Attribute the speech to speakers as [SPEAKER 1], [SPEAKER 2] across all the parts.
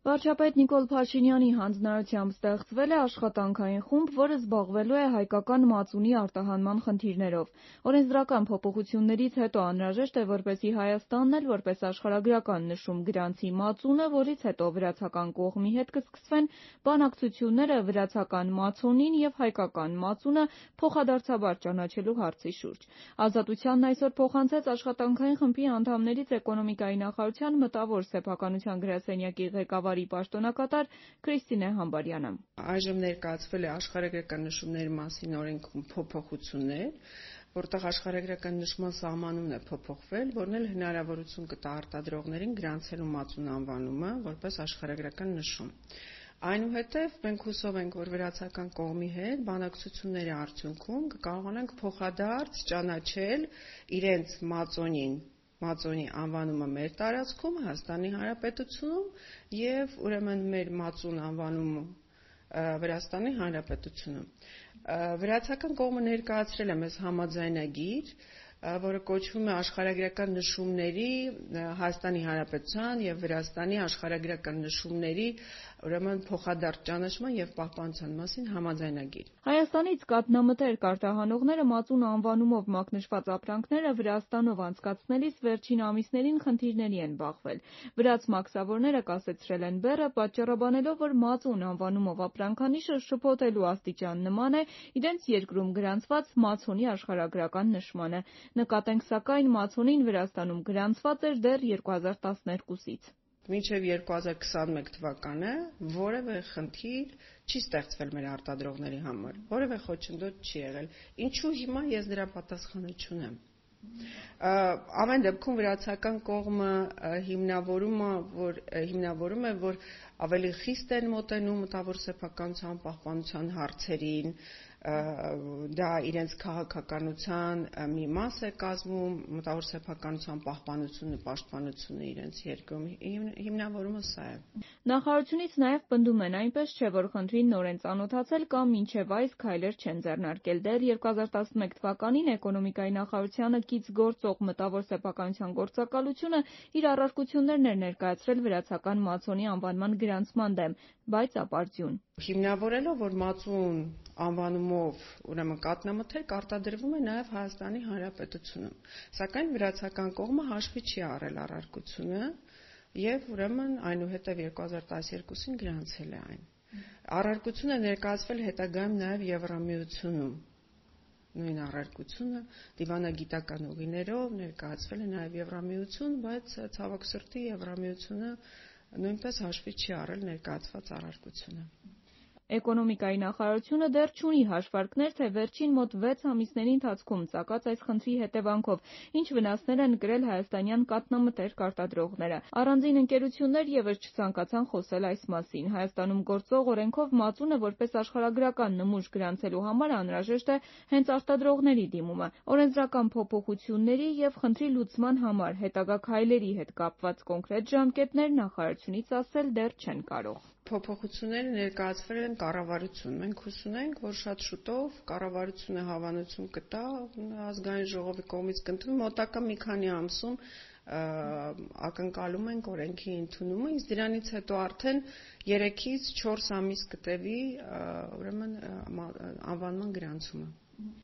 [SPEAKER 1] Վարչապետ Նիկոլ Փաշինյանի հանձնարարությամբ ստեղծվել է աշխատանքային խումբ, որը զբաղվելու է հայկական մածունի արտահանման խնդիրներով։ Օրենսդրական փոփոխություններից հետո անհրաժեշտ է, որպեսզի Հայաստանն էլ որպես աշխարհագրական նշում գրանցի մածունը, որից հետո վրացական կողմի հետ կսկսվեն բանակցությունները վրացական մածոնին և հայկական մածունը փոխադարձաբար ճանաչելու հարցի շուրջ։ Ազատությանն այսօր փոխանցեց աշխատանքային խմբի անդամներից էկոնոմիկայի նախարարության մտավոր սեփականության գրասենյակի ղեկավարի պաշտոնակատար Քրիստինե Համբարյանը։
[SPEAKER 2] Այժմ ներկայացվել է աշխարհագրական նշումների մասին օրենքում փոփոխություններ, որտեղ աշխարհագրական նշման սահմանումն է փոփոխվել, որն էլ հնարավորություն կտա արտադրողներին գրանցելու մածուն անվանումը որպես աշխարհագրական նշում։ Այնուհետև մենք հուսով ենք, որ վրացական կողմի հետ բանակցությունների արդյունքում կկարողանանք փոխադարձ ճանաչել իրենց մածոնի անվանումը մեր տարածքում, Հայաստանի Հանրապետությունում և ուրեմն մեր մածուն անվանումը Վրաստանի Հանրապետությունում։ Վրացական կողմը ներկայացրել է մեզ համաձայնագիր, որը կոչվում է աշխարհագրական նշումների Հայաստանի Հանրապետության և Վրաստանի աշխարհագրական նշումների ուրեմն փոխադարձ ճանաչման և պահպանության մասին համաձայնագիր։
[SPEAKER 1] Հայաստանից կաթնամթերք արտահանողները մածուն անվանումով մակնշված ապրանքները Վրաստանով անցկացնելիս վերջին ամիսներին խնդիրների են բախվել։ Վրաց մաքսավորները կասեցրել են բեռը, պատճառաբանելով, որ մածուն անվանումով ապրանքանիշը շփոթելու աստիճան նման է իրենց երկրում գրանցված մածոնի աշխարհագրական նշմանը։ Նկատենք սակայն մածոնին Վրաստանում գրանցված էր դեռ 2012-ից։
[SPEAKER 2] Մինչև 2021 թվականը որևէ խնդիր չի ստեղծվել մեր արտադրողների համար, որևէ խոչընդոտ չի եղել։ Ինչու հիմա ես դրա պատասխանը չունեմ։ Ամեն դեպքում վրացական կողմը հիմնավորում է, որ ավելի խիստ են մոտենում մտավոր սեփականության պահպանության հարցերին, դա իրենց քաղաքականության մի մաս է կազմում, մտավոր սեփականության պահպանությունը, պաշտպանությունը իրենց երկրում, հիմնավորումը սա է։
[SPEAKER 1] Նախարարությունից նաև պնդում են, այնպես չէ, որ խնդրին նոր են ծանոթացել կամ մինչև այս քայլեր չեն ձեռնարկել։ Դեռ 2011 թվականին էկոնոմիկայի նախարարությանը կից գործող մտավոր սեփականության գործակալությունը իր առարկություններն էր ներկայացրել վրացական մածոնի անվանման գրանցման դեմ, բայց ապարդյուն։
[SPEAKER 2] Հիմնավորելով, որ մածուն անվանումով ուրեմն կաթնամթերք արտադրվում է նաև Հայաստանի Հանրապետությունում, սակայն վրացական կողմը հաշվի չի առել առարկությունը և ուրեմն այնուհետև 2012-ին գրանցել է այն։ Առարկությունը ներկայացվել հետագայում նաև Եվրամիությունում։ Նույն առարկությունը դիվանագիտական ուղիներով ներկայացվել է նաև Եվրամիություն, բայց ցավոք սրտի Եվրամիությունը նույնպես հաշվի չի առել ներկայացված առարկությունը։
[SPEAKER 1] Էկոնոմիկայի նախարարությունը դեռ չունի հաշվարկներ, թե վերջին մոտ 6 ամիսների ընթացքում ծագած այս խնդրի հետևանքով ինչ վնասներ են կրել հայաստանյան կաթնամթերք արտադրողները։ Առանձին ընկերություններ ևս չցանկացան խոսել այս մասին։ Հայաստանում գործող օրենքով մածունը որպես աշխարհագրական նմուշ գրանցելու համար անհրաժեշտ է հենց արտադրողների դիմումը։ Օրենսդրական փոփոխությունների և խնդրի լուծման համար հետագա քայլերի հետ կապված կոնկրետ ժամկետներ նախարարությունից ասել դեռ չեն կարող։
[SPEAKER 2] Փոփոխությունները ներկայացվել են կառավարություն։ Մենք հույս ունենք, որ շատ շուտով կառավարությունը հավանություն կտա ազգային ժողովի կողմից կընդունվի, մոտակա մի քանի ամսում ակնկալում ենք օրենքի ընդունումը, իսկ դրանից հետո արդեն 3-ից 4 ամիս կտևի ուրեմն անվանման գրանցումը։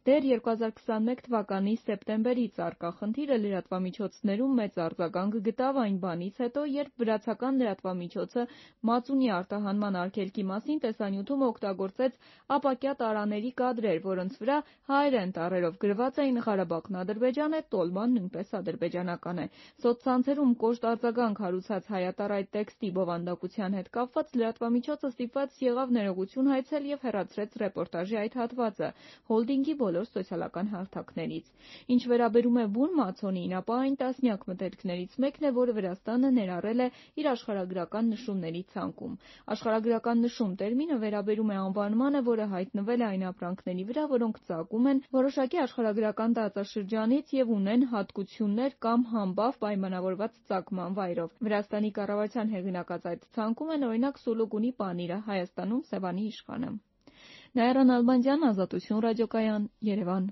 [SPEAKER 1] Դեռ 2021 թվականի սեպտեմբերից առկա խնդիրը լրատվամիջոցներում մեծ արձագանք գտավ այն բանից հետո, երբ վրացական լրատվամիջոցը մածունի արտահանման արգելքի մասին տեսանյութում օգտագործեց ապակյա տարաների կադրեր, որոնց վրա հայերեն տառերով գրված էին «Ղարաբաղն Ադրբեջան է, տոլման նույնպես ադրբեջանական է»։ Սոցցանցերում կոշտ արձագանք հարուցած հայատառ այդ տեքստի բովանդակության հետ կապված լրատվամիջոցը ստիպված եղավ ներողություն հայցել և հեռացրեց ռեպորտաժի այդ հատվածը հոլդինգի բոլոր սոցիալական հարթակներից։ Ինչ վերաբերում է բուն մածոնին, ապա այն տասնյակ մթերքներից մեկն է, որը Վրաստանը ներառել է իր աշխարհագրական նշումների ցանկում։ Աշխարհագրական նշում տերմինը վերաբերում է անվանմանը, որը հայտնվել է այն ապրանքների վրա, որոնք ծագում են որոշակի աշխարհագրական տարածաշրջանից և ունեն հատկություններ կամ համբավ պայմանավորված ծագման վայրով։ Վրաստանի կառավարության հեղինակած այդ ցանկում են օրինակ Սուլուգունի պանիրը, Հայաստանում Սևանի իշխանը։ Նաիրա Նալբանդյան, Ազատություն ռադիոկայան, Երևան։